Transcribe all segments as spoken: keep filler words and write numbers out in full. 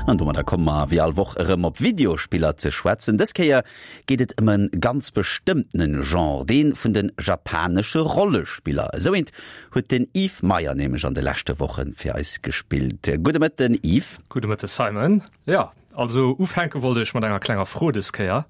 An domadder komme mer wéi all Woch erëm op Videospiller ze schwätzen. Dës Kéier geet et ëm e ganz bestëmmtene Genre, dee vun de japanesche Rollespiller. Esou eent huet den Yves Meyer nämlech an de leschte Woche fir eis gespillt. Gudde Mëtten, Yves. Gudde Mëtte, Simon. Jo, also ufänke wollt ech mat enger klenger Fro dës Kéier.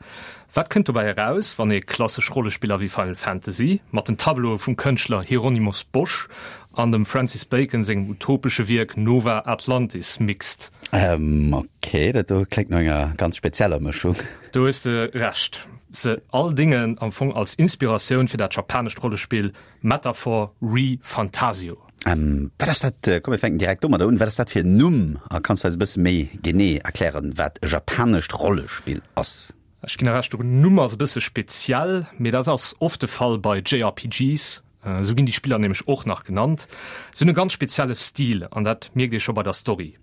Wat kënnt dobäi eraus, wann ee klassesch Rollespiller wéi Final Fantasy mat den Tableaue vum Kënschtler Hieronymus Bosch an dem Francis Bacon sengem utopesche Wierk Nova Atlantis mixt? Ähm, ok, dat do kléngt no enger ganz spezieller Mëschung. Do hues de Recht. Se all déngen am Fong als Inspiratioun fir dat japanescht Rollespill Metaphor ReFantazio. Ähm, wat ass dat, komm mir fänken direkt domadder un, wat ass dat fir en Numm a kanns de eis e bësse méi genee erklären, wat e japanescht Rollespill ass? Ech ginn der Recht, den Numm ass e bësse speziell, mee dat ass oft de Fall bei J R P Gs, esou ginn déi Spiller nämlech och nach genannt. Se hunn e ganz spezielle Stil an dat mierkt ee scho bei der Story.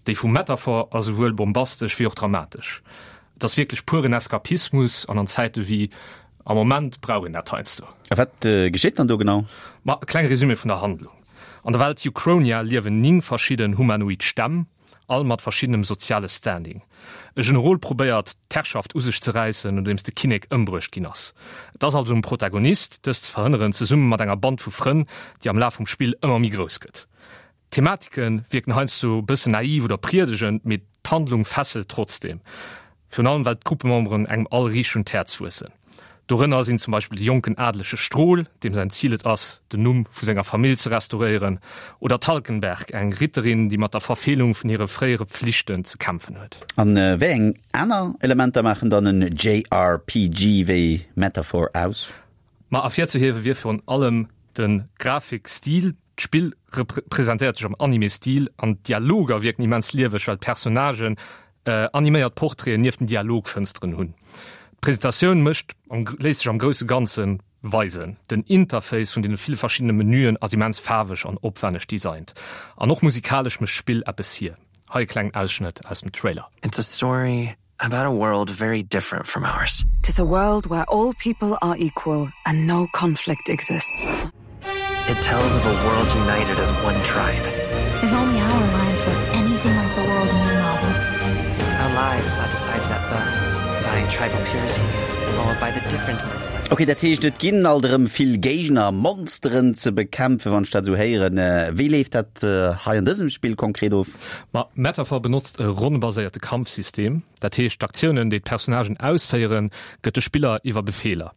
Déi vu Metaphor ass esouwuel bombastesch wéi och dramatesch. Et ass wierklech puren Eskapismus an an Zäite wéi am Moment brauch een dat heiansdo. A wat geschitt dann do genau? Ma e klenge Resumé vun der Handlung. An der Welt Euchronia liewen néng verschidden humanoid Stämm, all mat verschiddenem soziale Standing. E Generol probéiert, d'Herrschaft u sech ze räissen, nodeems de Kinnek ëmbruecht ginn ass. Et ass also um Protagonist, dëst ze verhënneren, zesumme mat enger Band vu Frënn, déi am Laf vum Spill ëmmer méi grouss gëtt. D'Thematike wierken heiansdo e bëssen naiv oder priedegend, mee d'Handlung fesselt trotzdeem. Virun allem well d'Gruppememberen engem all riicht un d'Häerz wuessen. Dorënner sinn zum Beispill de jonken adelege Strohl, deem säin Zil et ass, den Numm vu senger Famill ze restauréieren, oder d'Talkenberg, eng Ritterin, déi mat der Verfeelung vun hire fréiere Pflichten ze kämpfen huet. A wéi eng aner Elementer maachen dann en J R P G wéi Metaphor aus? Ma ervirzehiewe wier virun allem de Grafikstil. D'Spill presentéiert sech am Anime-Stil an d'Dialoger wierken immens lieweg, well d'Personnagen animéiert Portraiten nieft den Dialogfënsteren hunn. D'Presentatioun mécht léisst sech am grousse Ganze weisen. Den Interface vun deene ville verschiddene Menüen ass immens faarweg an opwänneg designt. An och musikalesch mécht d'Spill eppes hier. Hei e klengen Ausschnëtt aus dem Trailer. It's a story about a world very different from ours. Tis a world where all people are equal and no conflict exists. It tells of a world united as one tribe. If only our lives were anything like the world in your novel. Our lives are decided at birth by tribal purity or by the differences that Ok, dat heescht et ginn alt erëm vill Géigner, Monsteren ze bekämpfen, wann ech dat esou héieren. Wéi leeft dat hei an dësem Spill konkret of? Ma Metaphor benotzt e ronnebaséierte Kampfsystem. Dat heescht, d'Aktiounen, déi d'Personnagen ausféieren, gëtt de Spiller iwwer Befeeler.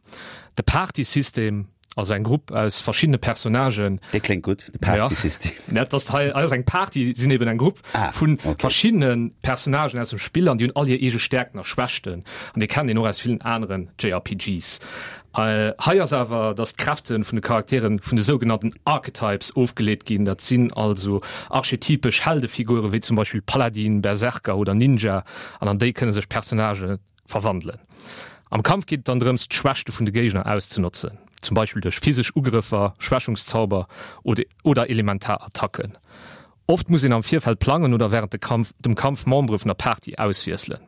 De Partysystem, also eng Grupp aus verschiddene Personnagen. Dee kléngt gutt, de Partysystem. Ja, dat ass hei ass eng Party, sinn eben eng Grupp ah, vun okay. verschiddene Personnagen aus dem Spill an déi hunn all hir eege Stäerkten a Schwächten. An déi kennt een och aus villen aneren J R P Gs. Äh, hei ass awer, dass d'Kräfte vun de Charakteren vun de sougenannten Archetypes ofgeleet ginn. Dat sinn also archetypesch Heldefigure wéi zum Beispill Paladin, Berserker oder Ninja an an déi kënne sech Personnagë verwandelen. Am Kampf geet et dann drëms, d'Schwächte vun de Géigner auszenotzen, zum Beispill duerch physesch Ugrëffer, Schwächungszauber oder oder elementar Attacken. Oft muss een am Virfeld plangen oder wärend de Kampf dem Kampf Membere vun der Party auswiesselen.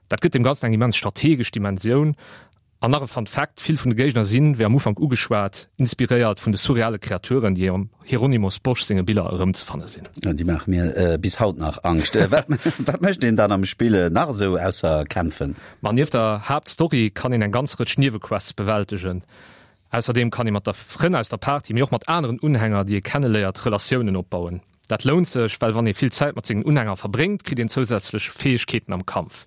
Dat gëtt dem Ganzen eng immens strategesch Dimensioun. An nach e Fun Fact, Vill vun de Géigner sinn, wéi am Ufank ugeschwat, inspiréiert vun de surreale Kreaturen, déi am Hieronymus Bosch senge Biller erëmzefanne sinn. Déi maache mir bis haut nach Angscht. Wat wat mécht een dann am Spill nach esou ausser kämpfen? Ma nieft der Haaptstory kann een eng ganz Rëtsch Niewequests bewältegen. Ausserdeem kann ee mat der Frënn aus der Party, mee och mat aneren Unhänger, déi ee kenneléiert, Relatiounen opbauen. Dat lount sech, well wann ee vill Zäit mat sengen Unhänger verbréngt, kritt een zousätzlech Fäegkeeten am Kampf.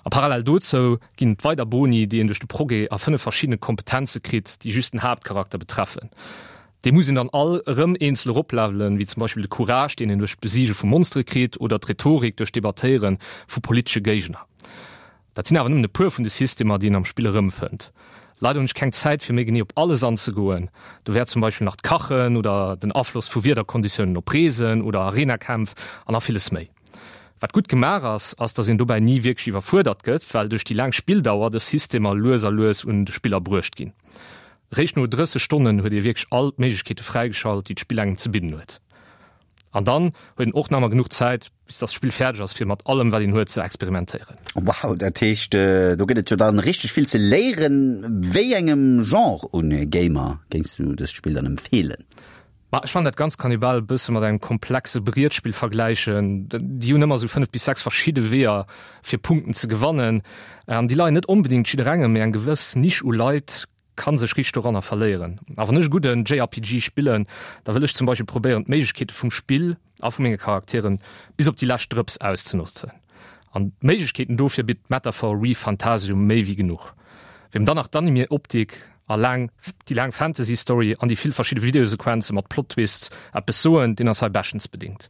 A parallel dozou ginn et weider Boni, déi een duerch de Progrès a fënnef verschiddene Kompetenze kritt, déi just den Haaptcharakter betreffen. Déi muss een dann all erëm eenzel eroplevelen, wéi zum Beispill de Courage, deen een duerch d'Besiege vu Monstere kritt, oder d'Rhetorik duerch d'Debattéiere vu politesche Géigner. Dat sinn awer nëmmen e puer vun de Systemer, déi een am Spill erëmfënnt. Leider hunn ech keng Zäit, fir méi genee op alles anzegoen. Do wär zum Beispill nach d'Kachen oder den Afloss vu Wiederkonditiounen op Reesen oder Arenakämpf an nach villes méi. Wat gutt gemaach ass, ass dass een dobäi ni wierklech iwwerfuerdert gëtt, well duerch déi laang Spilldauer dës Systemer lues a lues un de Spiller bruecht ginn. Réischt no drësseg Stonnen huet ee wierklech all d'Méiglechkeete fräigeschalt, déi d'Spill engem ze bidden huet. An dann huet een och nach emmer genuch Zäit, bis dass d'Spill fäerdeg ass, fir mat allem wat een huet ze experimentéieren. Wow, dat heescht do gëtt et jo dann richteg vill ze léieren. Wéi engem Genre un Gamer géings du dëst Spill dann empfeelen? Ma ech fannen dat Ganzt kann ee bal e bësse mat engem komplexe Brietspill vergläichen. Déi hunn ëmmer esou fënnef bis sechs verschidde Weeër fir Punkten ze gewannen an déi leien net onbedéngt jidderengem, mee eng gewëss Nisch u Leit ka sech riicht doranner verléieren. A wann ech e gudden J R P G spillen, da wëll ech zum Beispill probéieren d'Méiglechkeete vum Spill a vu menge Charakteren bis op déi lescht Drëps auszenotzen. An d'Méiglechkeeten dofir bitt Metaphor ReFantazio méi wéi genuch. Wiem dann nach d'Anime-Optik a laang déi laang Fantasy-Story an déi vill verschidde Videosequenze mat Plot-Twists eppes soen, deen ass hei beschtens bedingt.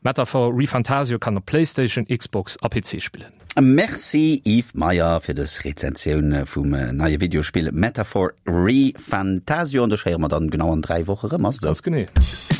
Metaphor ReFantazio kann op PlayStation, Xbox a P C spillen. Merci Yves Meyer fir dës Rezensioun vum neie Videospill Metaphor ReFantazio an dech héiere mer dann genau an dräi Woche rëm, ass et esou? Ganz genee.